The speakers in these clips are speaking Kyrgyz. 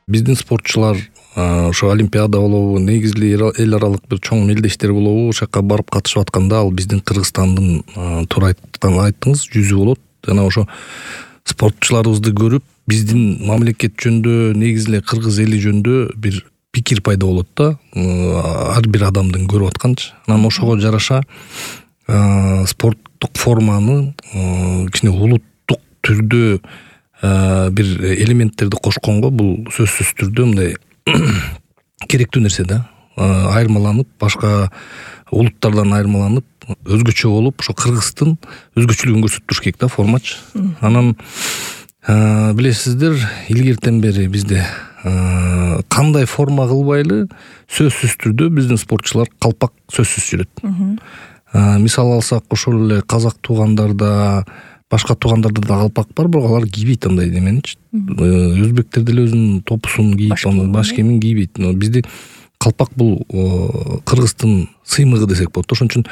Биздин спортчулар ошо олимпиада болобу, негизги эл аралык бир чоң мелдештер болобу, ошол жака барып катышып атканда ал биздин Кыргызстандын туура айттыңыз, жүзү болот. Жана ошо спортчуларыбызды көрүп, биздин мамлекет жөнүндө, негизи эле кыргыз эли жөнүндө бир пикир пайда болот да, ар бир адамдын көрүп атканчы. Анан ошого жараша спорттук форманы кичине улуттук түрдө бир элементтерди кошконго бул сөзсүз түрдө мындай керектүү нерсе да. Айырмаланып, башка улуттардан айырмаланып, өзгөчө болуп, ошо Кыргыздын өзгөчөлүгүн көрсөтүп туруш керек да формачы. Анан билесиздер, илгертен бери бизде кандай форма кылбайлы, сөзсүз түрдө биздин спортчулар калпак сөзсүз жүрөт. Мисал алсак, ошол эле казак туугандарда, башка туугандарда да калпак бар, бирок алар кийбейт андай неменичи. Өзбектер деле өзүнүн топусун кийип, баш кийимин кийбейт. Бизде калпак бул Кыргыздын сыймыгы десек болот. Ошон үчүн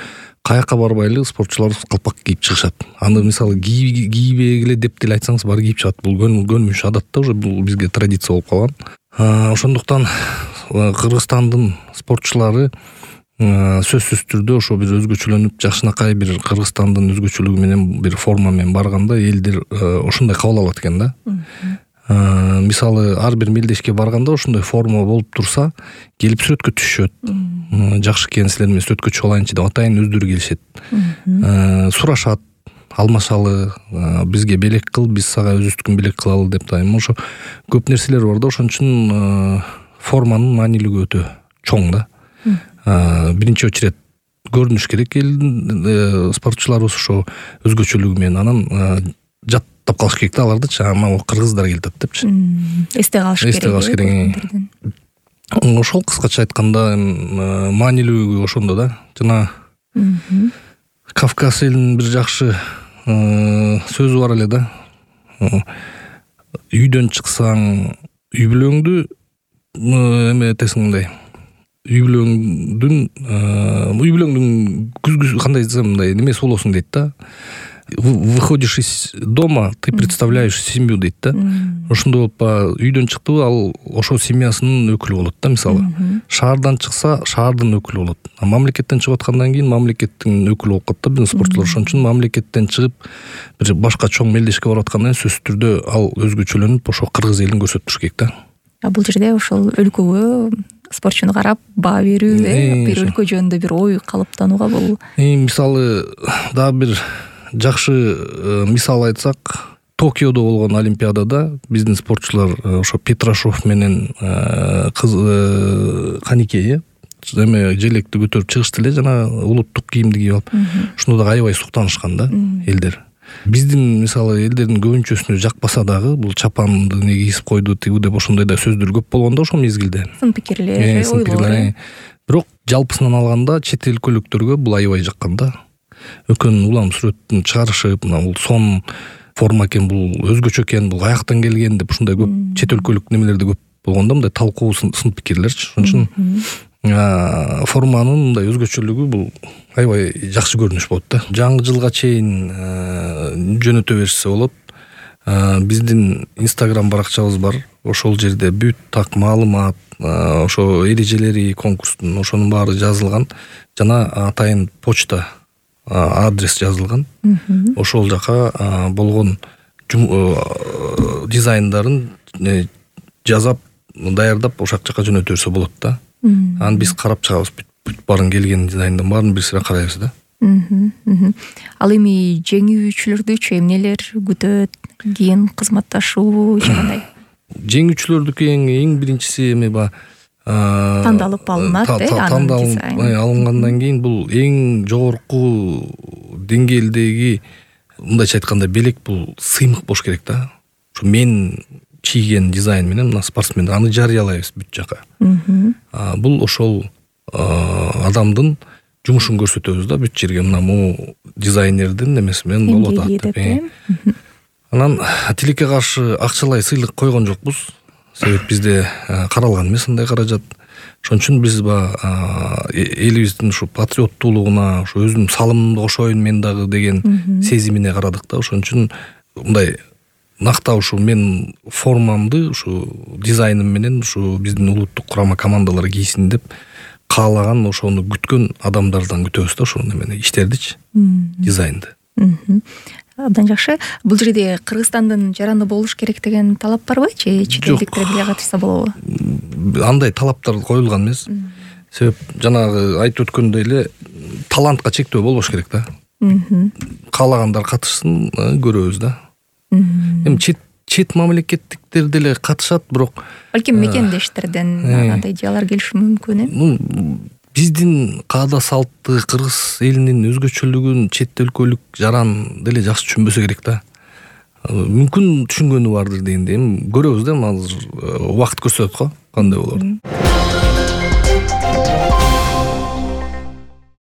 каяка барбайлы спортчуларыбыз калпак кийип чыгышат. Аны мисалы кийбегиле деп деле айтсаңыз баары кийип чыгат. Бул көнүмүш адат да, уже бул бизге традиция болуп калган. Ошондуктан Кыргызстандын спортчулары сөзсүз түрдө ошо бир өзгөчөлөнүп, жакшынакай бир Кыргызстандын өзгөчөлүгү менен бир форма менен барганда элдер ошондой кабыл алат экен да. Мисалы ар бир мелдешке барганда ошондой форма болуп турса, келип сүрөткө түшүшөт. Жакшы экен, силер менен сүрөткө чыгып алайынчы деп атайын өздөрү келишет. Сурашат, алмашалы, бизге белек кыл, биз сага өзүбүздүкүн белек кылалы деп атайын. Ошо көп нерселер бар да, ошон үчүн форманын маанилиги өтө чоң да. Биринчи очеред көрүнүш керек элдин спортчуларыбыз ошо өзгөчөлүгү менен, анан жаттап калыш керек да алардычы, могу кыргыздар келип атат депчи. Эсте калыш керек. Ошол кыскача айтканда маанилүүлүгү ошондо да. Жана Кавказ элинин бир жакшы сөзү бар эле да. Үйдөн чыксаң үй бүлөңдү эметесиң мындай. Үй бүлөңдүн күзгү кандай десем мындай немеси болосуң дейт да. Выходишь из дома, ты представляешь семью дейт да. Ошондой болуп үйдөн чыкты, ал ошол семьясынын өкүлү болот да, мисалы. Шаардан чыкса, шаардын өкүлү болот. Мамлекеттен чыгып аткандан кийин мамлекеттин өкүлү болуп калат да биздин спортчулар. Ошон үчүн мамлекеттен чыгып бир башка чоң мелдешке барып аткандан кийин сөзсүз түрдө ал өзгөчөлөнүп, ошо кыргыз элин көрсөтүп туруш керек да. Бул жерде ошол өлкөгө спортчуну карап баа берүү, бир өлкө жөнүндө бир ой калыптанууга бул. Мисалы дагы бир жакшы мисал айтсак, Токиодо болгон олимпиадада биздин спортчулар ошо Петрашов менен Каникей желекти көтөрүп чыгышты эле, жана улуттук кийимди кийип алып. Ошондо дагы аябай суктанышкан да элдер. Биздин мисалы элдердин көбүнчөсүнө жакпаса дагы бул чапанды неге кийип койду тигүү деп ошондой да сөздөр көп болгон да ошол мезгилде. Сын пикирлер, ойлор. Бирок жалпысынан алганда чет өлкөлүктөргө бул аябай жаккан да. Өкөн улам сүрөттүн чыгарышып, мына бул сон форма экен, бул өзгөчө экен, бул каяктан келген деп ушундай көп чет өлкөлүк немелерди көп болгондо, мындай талкуу сын пикирлерчи. Ошон үчүн форманын мындай өзгөчөлүгү бул аябай жакшы көрүнүш болот да. Жаңы жылга чейин жөнөтө беришсе болот. Биздин Instagram баракчабыз бар. Ошол жерде бүт так маалымат, ошо эрежелери конкурстун ошонун баары жазылган. Жана атайын почта адрес жазылган. Ошол жака болгон дизайндарын жазап, даярдап ошол жака жөнөтө берсе болот да. Аны биз карап чыгабыз. Бүт баарын келген дизайндын баарын бир сыра карайбыз да. Ал эми жеңүүчүлөрдүчү эмнелер күтөт? Кийин кызматташуу жагандай. Жеңүүчүлөрдүкү эң биринчиси эми тандалып алынат, алынгандан кийин бул эң жогорку деңгээлдеги, мындайча айтканда, белек бул сыймык болуш керек да. Ошо мен чийген дизайн менен мына спортсмен аны жарыялайбыз бүт жака. Бул ошол адамдын жумушун көрсөтөбүз да бүт жерге, мына могу дизайнердин немеси менен болот атып. Анан тилекке каршы акчалай сыйлык койгон жокпуз. Себеп бизде каралган эмес андай каражат. Ошон үчүн биз элибиздин ушу патриоттуулугуна, ушу өзүмдүн салымымды кошоюн мен дагы деген сезимине карадык да. Ошон үчүн мындай нактап ушу мен формамды ушу дизайным менен ушу биздин улуттук курама командалар кийсин деп каалаган ошону күткөн адамдардан күтөбүз да ошол немени иштердичи, дизайнды. Абдан жакшы. Бул жерде Кыргызстандын жараны болуш керек деген талап барбы же чет элдиктер деле катышса болобу? Андай талаптар коюлган эмес. Себеп жанагы айтып өткөндөй эле талантка чектөө болбош керек да. Каалагандар катышсын, көрөбүз да. Эми чет мамлекеттиктер деле катышат, бирок балким мекендештерден андай идеялар келиши мүмкүн, биздин каада салты, кыргыз элинин өзгөчөлүгүн чет өлкөлүк жаран деле жакшы түшүнбөсө керек да. Мүмкүн түшүнгөнү бардыр дегенде, эми көрөбүз да, азыр убакыт көрсөтөт го кандай болор.